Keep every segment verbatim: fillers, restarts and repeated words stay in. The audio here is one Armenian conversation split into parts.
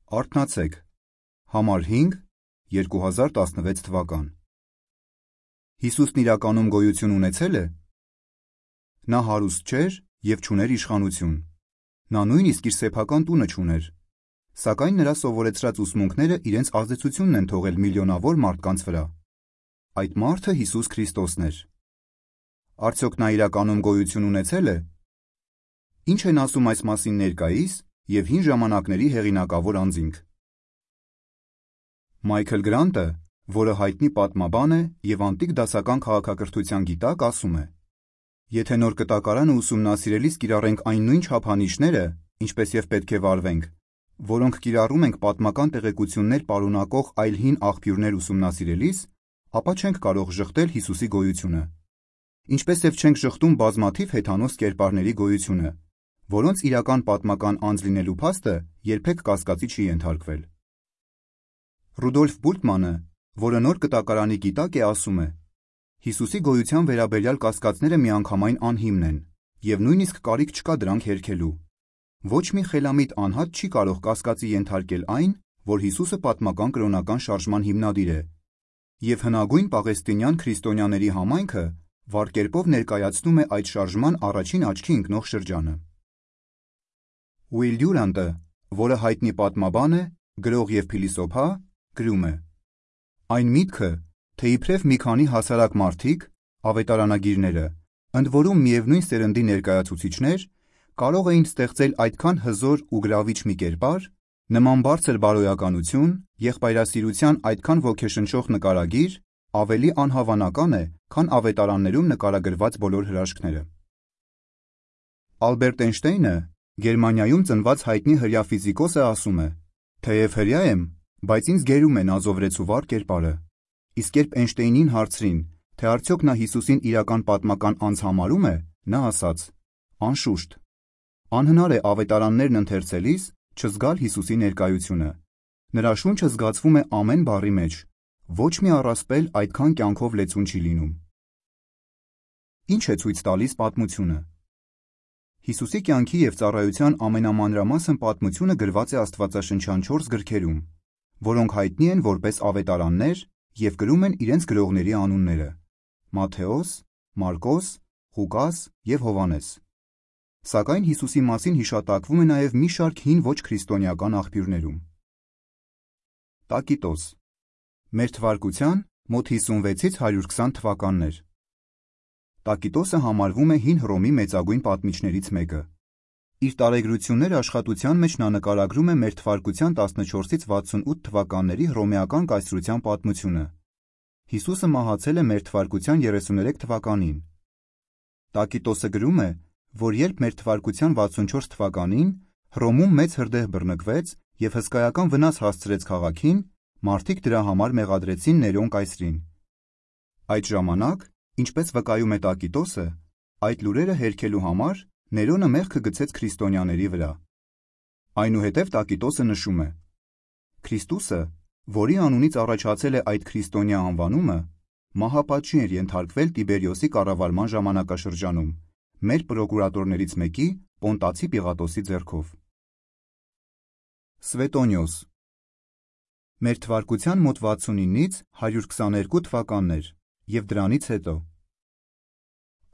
Արթնացեք, համար հինգ, երկու հազար տասնվեց թվական։ Հիսուսն իրականում գոյություն ունեցել է։ Նա հարուստ չէր և չուներ իշխանություն։ Նա նույնիսկ իր սեփական տունը չուներ, սակայն նրա սովորեցրած ուսմունքները իրենց ազդեցությունն են թողել միլիոնավոր մարդկանց վրա։ Այդ մարդը Հիսուս Քրիստոսն էր։ Արդյոք նա իրականում գոյություն ունեցել է։ Ինչ են ասում այս մասին ներկայիս և հին ժամանակների հեղինակավոր անձինք։ Մայքլ Գրանտը, որը հայտնի պատմաբան է և անտիկ դասական քաղաքակրթության գիտակ, ասում է. Եթե նոր կտակարանը ուսումնասիրելիս կիրառենք այն նույն չափանիշները, ինչպես և պետք է վարվենք, որոնք կիրառում ենք պատմական տեղեկություններ պարունակող այլ հին աղբյուրներ ուսումնասիրելիս, ապա չենք կարող ժխտել Հիսուսի գոյությունը։ Ինչպես և չենք ժխտում բազմաթիվ հեթանոս կերպարների գոյությունը, որոնց իրական պատմական անձ լինելու փաստը երբեք կասկածի չի ենթարկվել։ Ռուդոլֆ Բուլտմանը, որը նոր կտակարանի գիտակ է, ասում է. Հիսուսի գոյության վերաբերյալ կասկածները միանգամայն անհիմն են, և նույնիսկ կարիք չկա դրանք հերքելու։ Ոչ մի խելամիտ անհատ չի կարող կասկածի ենթարկել այն, որ Հիսուսը պատմական կրոնական շարժման հիմնադիր է, և հնագույն պաղեստինյան քրիստոնյաների համայնքը վառ կերպով ներկայացնում է այդ շարժման առաջին աչքի ընկնող շրջանը։ Ուիլ Դյուրանտը, որը հայտնի պատմաբան է, գրող և փիլիսոփա, գրում է. Այն միտքը, թե իբրև մի քանի հասարակ մարդիկ, ավետարանագիրները, ընդ որում միևնույն սերնդի ներկայացուցիչներ, կարող էին ստեղծել այդքան հզոր ու գրավիչ մի կերպար, նման բարձր բարոյականություն, եղբայրասիրության այդքան ոգեշնչող նկարագիր, ավելի անհավանական է, քան ավետարաններում նկարագրված բոլոր հրաշքները։ Ալբերտ Էյնշտեյնը, Գերմանիայում ծնված հայտնի հրեա ֆիզիկոսը, ասում է. Թեև հրեա եմ, բայց ինձ գերում է նազովրեցու վառ կերպարը։ Իսկ երբ Էյնշտեյնին հարցրին, թե արդյոք նա Հիսուսին իրական պատմական անձ համարում է, նա ասաց. Անշուշտ, անհնար է ավետարաններն ընթերցելիս չզգալ Հիսուսի ներկայությունը։ Նրա շունչը զգացվում է ամեն բառի մեջ, ոչ մի առասպել այդքան կյանքով լեցուն չի լինում։ Ինչ է ցույց տալիս պատմությունը։ Հիսուսի կյանքի և ծառայության ամենամանրամասն պատմությունը գրված է աստվածաշնչյան չորս գրքերում, որոնք հայտնի են որպես ավետարաններ և կրում են իրենց գրողների անունները՝ Մատթեոս, Մարկոս, Ղուկաս և Հովհաննես։ Սակայն Հիսուսի մասին հիշատակվում է նաև մի շարք հին ոչ քրիստոնեական աղբյուրներում։ Տակիտոս մեր թվարկության մոտ հիսունվեցից հարյուր քսան թվականներ։ Տակիտոսը համարվում է հին Հռոմի մեծագույն պատմիչներից մեկը։ Իր տարեգրություններ աշխատության մեջ նա նկարագրում է մեր թվարկության տասնչորսից վաթսունութ թվականների հռոմեական կայսրության պատմությունը։ Հիսուսը մահացել է մեր թվարկության երեսուներեք թվականին։ Տակիտոսը գրում է, որ երբ մեր թվարկության վաթսունչորս թվականին Հռոմում մեծ հրդեհ բռնկվեց և հսկայական վնաս հասցրեց քաղաքին, մարդիկ դրա համար մեղադրեցին Ներոն կայսրին։ Այդ ժամանակ, ինչպես վկայում է Տակիտոսը, այդ լուրերը հերքելու համար Ներոնը մեղքը գցեց քրիստոնյաների վրա։ Այնուհետև Տակիտոսը նշում է. Քրիստոսը, որի անունից առաջացել է այդ քրիստոնյա անվանումը, մահապատժի էր ենթարկվել Տիբերիոսի կառավարման ժամանակաշրջանում մեր պրոկուրատորներից մեկի՝ Պոնտացի Պիղատոսի ձեռքով։ Սվետոնիոս մեր թվարկության մոտ վաթսունինից հարյուր քսաներկու թվականներ և դրանից հետո։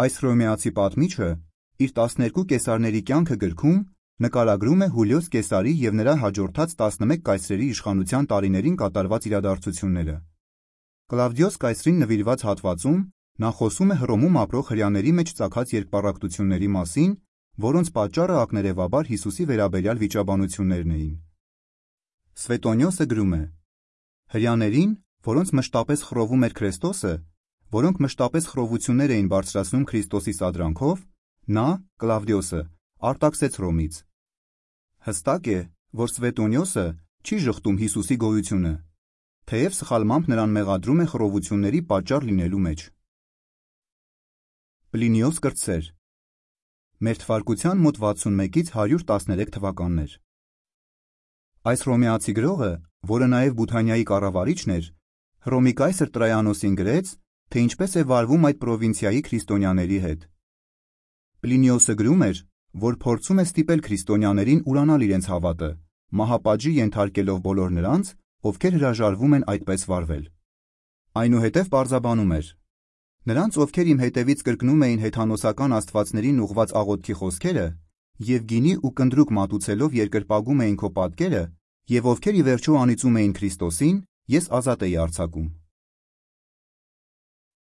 Այս հռոմեացի պատմիչը իր տասներկու կեսարների կյանքը գրքում նկարագրում է Հուլիոս Կեսարի և նրա հաջորդած տասնմեկ կայսրերի իշխանության տարիներին կատարված իրադարձությունները։ Կլավդիոս կայսրին նվիրված հատվածում նա խոսում է Հռոմում ապրող հրեաների մեջ ծագած երկպառակտությունների մասին, որոնց պատճառը ակներևաբար Հիսուսի վերաբերյալ վիճաբանություններն էին։ Սվետոնիոսը գրում է. Հրեաներին, որոնց մշտապես խռովում էր Քրեստոսը, որոնք մշտապես խռովություններ էին բարձրացնում Քրիստոսի սադրանքով, նա, Կլավդիոսը, արտաքսեց Հռոմից։ Հստակ է, որ Սվետոնիոսը չի ժխտում Հիսուսի գոյությունը, թեև սխալմամբ նրան մեղադրում է խռովությունների պատճառ լինելու մեջ։ Պլինիոս կրտսեր մեր թվարկության մոտ վաթսունմեկից հարյուր տասներեք թվականներ։ Այս հռոմեացի գրողը, որը նաև Բութանիայի կառավարիչն էր, Հռոմի կայսր Տրայանոսին գրեց, թե ինչպես է վարվում այդ պրովինցիայի քրիստոնյաների հետ։ Պլինիոսը գրում էր, որ փորձում է ստիպել քրիստոնյաներին ուրանալ իրենց հավատը, մահապատժի ենթարկելով բոլոր նրանց, ովքեր հրաժարվում են այդպես վարվել։ Այնուհետև պարզաբանում էր. նրանց, ովքեր իմ հետևից կրկնում էին հեթանոսական աստվածներին ուղված աղոթքի խոսքերը և գինի ու կնդրուկ մատուցելով երկրպագում էին քո պատկերը և ովքեր ի վերջո անիծում էին Քրիստոսին, ես ազատ էի արձակում։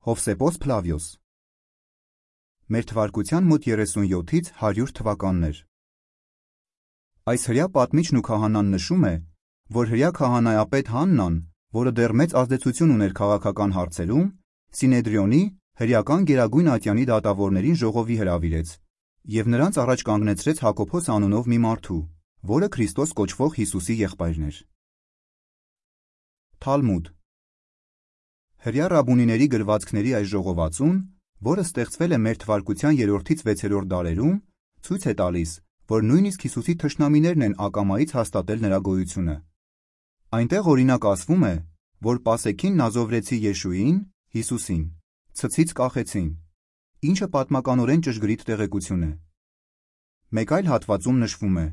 Հովսեփոս Փլավիոս Մեր թվարկության մոտ երեսունյոթից հարյուր թվականներ։ Այս հրյա պատմիչն ու քահանան նշում է, որ հրյա քահանայապետ Հաննան, որը դեռ մեծ ազդեցություն ուներ քաղաքական հարցերում, Սինեդրիոնի հրեական գերագույն ատյանի դատավորներին ժողովի հրավիրեց և նրանց առաջ կանգնեցրեց Հակոբոս անունով մի մարդու, որը Քրիստոս կոչվող Հիսուսի եղբայրն էր։ Թալմուդ Հրյա ռաբունիների գրվածքների այս ժողովածուն, որը ստեղծվել է մեր թվարկության երրորդից վեցերորդ դարերում, ցույց է տալիս, որ նույնիսկ Հիսուսի թշնամիներն են ակամայից հաստատել նրա գոյությունը։ Այնտեղ օրինակ ասվում է, որ Պասեքին նազովրեցի Եշուին, Հիսուսին, ցցից կախեցին, ինչը պատմականորեն ճշգրիտ տեղեկություն է։ Մեկ այլ հատվածում նշվում է.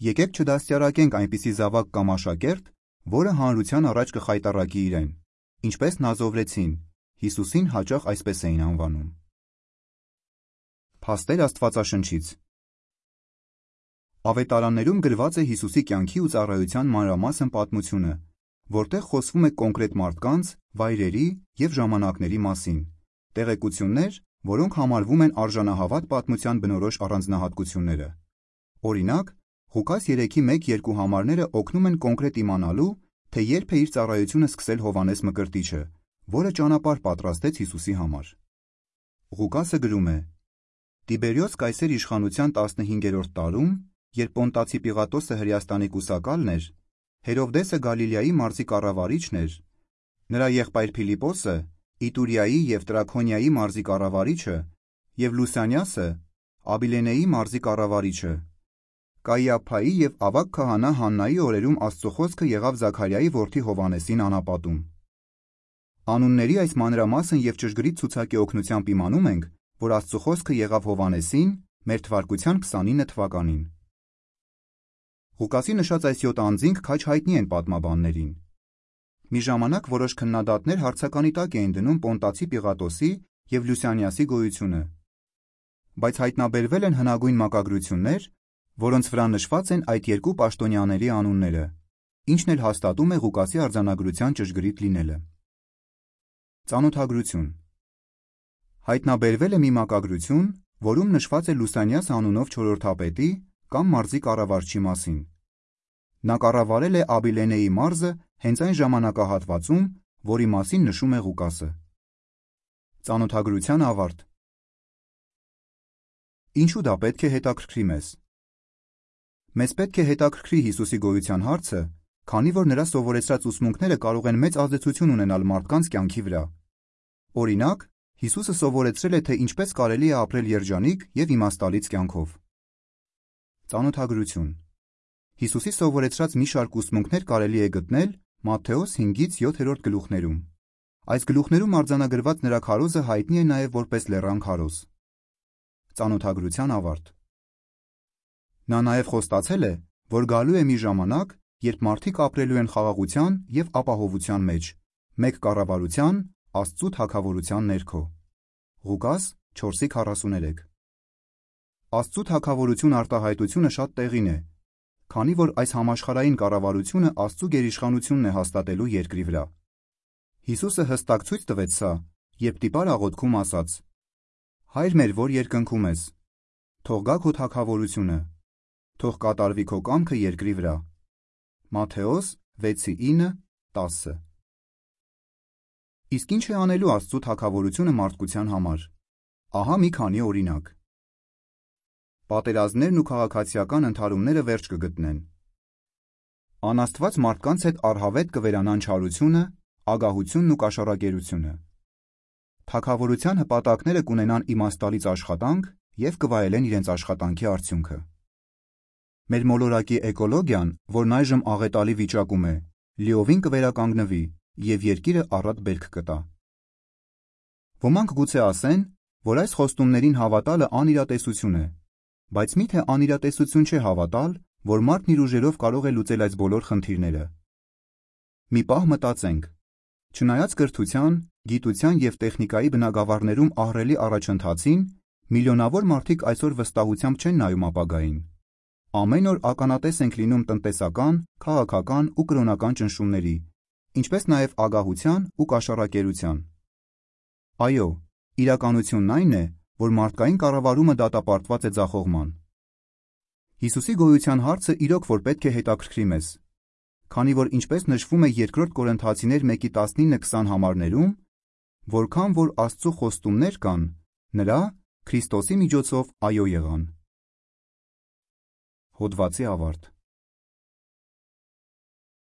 եկեք չդաստիարակենք այնպիսի զավակ կամ աշակերտ, որը հանրության առաջ կխայտառակի իրեն, ինչպես նազովրեցին, Հիսուսին հաճախ այսպես էին անվանում։ Փաստեր Աստվածաշնչից Ավետարաններում գրված է Հիսուսի կյանքի ու ծառայության մանրամասն պատմությունը, որտեղ խոսվում է կոնկրետ մարդկանց, վայրերի և ժամանակների մասին, տեղեկություններ, որոնք համարվում են արժանահավատ պատմության բնորոշ առանձնահատկությունները։ Օրինակ, Ղուկաս երեքի մեկ երկու համարները օգնում են կոնկրետ իմանալու, թե երբ է իր ծառայությունը սկսել Հովհաննես Մկրտիչը, որը ճանապարհ պատրաստեց Հիսուսի համար։ Ղուկասը գրում է. Տիբերիոս Կայսեր իշխանության տասնհինգերորդ տարում, երբ Պոնտացի Պիղատոսը Հրեաստանի կուսակալն էր, Հերովդեսը Գալիլեայի մարզի կառավարիչն էր, նրա եղբայր Փիլիպոսը Իտուրիայի և Տրաքոնիայի մարզի կառավարիչը և Լուսանիասը Աբիլենեի մարզի կառավարիչը, Կայիափայի և ավագ քահանա Հաննայի օրերում Աստծո խոսքը եղավ Զաքարիայի որդի Հովհաննեսին անապատում։ Անունների այս մանրամասն և ճշգրիտ ցուցակի օգնությամբ իմանում ենք, որ Աստծո խոսքը եղավ Հովհաննեսին մեր թվարկության քսանինը թվականին։ Ղուկասի նշած այս յոթ անձինք քաջ հայտնի են պատմաբաններին։ Մի ժամանակ որոշ քննադատներ հարցականի տակ էին դնում Պոնտացի Պիղատոսի և Լուսանիասի գոյությունը, բայց հայտնաբերվել են հնագույն մակագրություններ, որոնց վրա նշված են այդ երկու պաշտոնյաների անունները, ինչն էլ հաստատում է Ղուկասի արձանագրության ճշգրիտ լինելը։ Ծանոթագրություն Հայտնաբերվել է մի մակագրություն, որում նշված է Լուսանիաս անունով չորրորդապետի կամ մարզի կառավարչի մասին։ Նա կառավարել է Աբիլենեի մարզը հենց այն ժամանակահատվածում, որի մասին նշում է Ղուկասը։ Ծանոթագրության ավարտ Ինչու դա պետք է հետաքրքրի մեզ։ Մեզ պետք է հետաքրքրի Հիսուսի գոյության հարցը, քանի որ նրա սովորեցրած ուսմունքները կարող են մեծ ազդեցություն ունենալ մարդկանց կյանքի վրա։ Օրինակ, Հիսուսը սովորեցրել է, թե ինչպես կարելի է ապրել երջանիկ և իմաստալից կյանքով։ Ծանոթագրություն Հիսուսի սովորեցրած մի շարք ուսմունքներ կարելի է գտնել Մատթեոս հինգից յոթերորդ գլուխներում։ Այս գլուխներում արձանագրված նրա քարոզը հայտնի է նաև որպես լեռան քարոզ։ Ծանոթագրության ավարտ Նա նաև խոստացել է, որ գալու է մի ժամանակ, երբ մարդիկ ապրելու են խաղաղության և ապահովության մեջ, մեկ կառավարության, Աստծու թագավորության ներքո։ Ղուկաս չորսի քառասուներեք Աստծու թագավորություն արտահայտությունը շատ տեղին է, քանի որ այս համաշխարհային կառավարությունը Աստծու գերիշխանությունն է հաստատելու երկրի վրա։ Հիսուսը հստակ ցույց տվեց սա, երբ տիպար աղոթքում ասաց. Հայր մեր, որ երկնքում ես, թող գա քո թագավորությունը, թող կատարվի քո կամքը երկրի վրա։ Մատթեոս վեցի ինը տասը Իսկ ինչ է անելու Աստծու թագավորությունը մարդկության համար։ Ահա մի քանի օրինակ։ Պատերազմներն ու քաղաքացիական ընդհարումները վերջ կգտնեն։ Անաստված մարդկանց հետ առհավետ կվերանան չարությունը, ագահությունն ու կաշառակերությունը։ Թագավորության հպատակները կունենան իմաստալից աշխատանք և կվայելեն իրենց աշխատանքի արդյունքը։ Մեր մոլորակի էկոլոգիան, որն այժմ աղետալի վիճակում է, լիովին կվերականգնվի և երկիրը առատ բերք կտա։ Ոմանք գուցե ասեն, որ այս խոստումներին հավատալը անիրատեսություն է, բայց մի՞թե անիրատեսություն չէ հավատալ, որ մարդն իր ուժերով կարող է լուծել այս բոլոր խնդիրները։ Մի պահ մտածենք. չնայած կրթության, գիտության և տեխնիկայի բնագավառներում ահռելի առաջընթացին, միլիոնավոր մարդիկ այսօր վստահությամբ չեն նայում ապագային։ Ամեն օր ականատես ենք լինում տնտեսական, քաղաքական ու կրոնական ճնշումների, ինչպես նաև ագահության ու կաշառակերության։ Այո, իրականությունն այն է, որ մարդկային կառավարումը դատապարտված է ձախողման։ Հիսուսի գոյության հարցը իրոք որ պետք է հետաքրքրի մեզ, քանի որ ինչպես նշվում է երկրորդ Կորինթացիներ մեկի տասնինը քսան համարներում, որքան որ Աստծու խոստումներ կան, նրա՝ Քրիստոսի միջոցով այո եղան։ Հոդվացի ավարտ։